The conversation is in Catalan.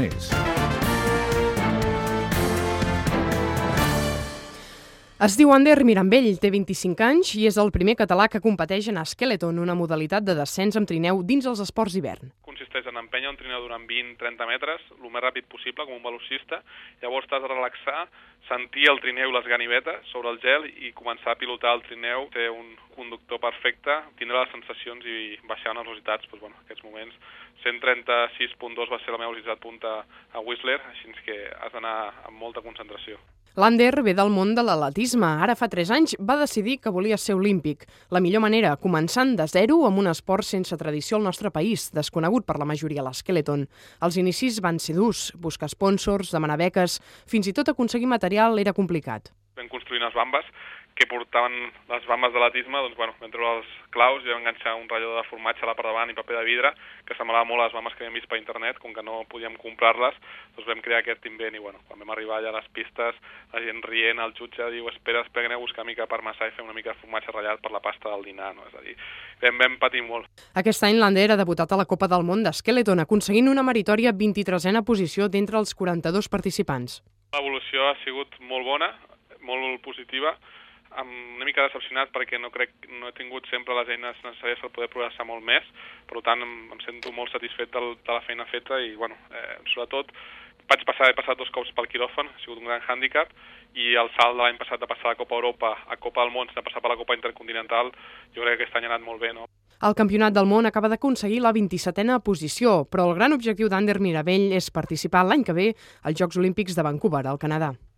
Aragonès. Es diu Ander Mirambell, té 25 anys i és el primer català que competeix en Skeleton, una modalitat de descens amb trineu dins els esports d'hivern. Consisteix en empènyer un trineu durant 20-30 metres, el més ràpid possible, com un velocista. Llavors t'has de relaxar, sentir el trineu i les ganivetes sobre el gel i començar a pilotar el trineu. Té un conductor perfecte, tindrà les sensacions i baixar les velocitats. En aquests moments 136.2 va ser la meva velocitat punta a Whistler, així que has d'anar amb molta concentració. L'Ander ve del món de l'atletisme. Ara fa 3 anys va decidir que volia ser olímpic. La millor manera, començant de zero amb un esport sense tradició al nostre país, desconegut per la majoria, l'Skeleton. Els inicis van ser durs, buscar sponsors, demanar beques, fins i tot aconseguir material era complicat. Vam construir unes bambes que portaven les bambes de l'atisme, vam treure els claus i vam enganxar un ratllador de formatge a la part davant i paper de vidre, que semblava molt a les bambes que havíem vist per internet. Com que no podíem comprar-les, vam crear aquest invent i quan vam arribar allà a les pistes, la gent rient, el jutge diu espera que aneu a buscar mica parmesà i fem una mica de formatge ratllat per la pasta del dinar, no? És a dir, vam patir molt. Aquest any l'Ander ha debutat a la Copa del Món d'Skeleton, aconseguint una meritòria 23a posició d'entre els 42 participants. L'evolució ha sigut molt bona, molt positiva, una mica decepcionat perquè no he tingut sempre les eines necessàries per poder progressar molt més, per tant em sento molt satisfet de la feina feta i sobretot he passat 2 cops pel quiròfan, ha sigut un gran hàndicap, i el salt de l'any passat de passar a la Copa Europa a Copa del Món, de passar per la Copa Intercontinental, jo crec que aquest any ha anat molt bé, no? El Campionat del Món acaba d'aconseguir la 27a posició, però el gran objectiu d'Ander Mirambell és participar l'any que ve als Jocs Olímpics de Vancouver, al Canadà.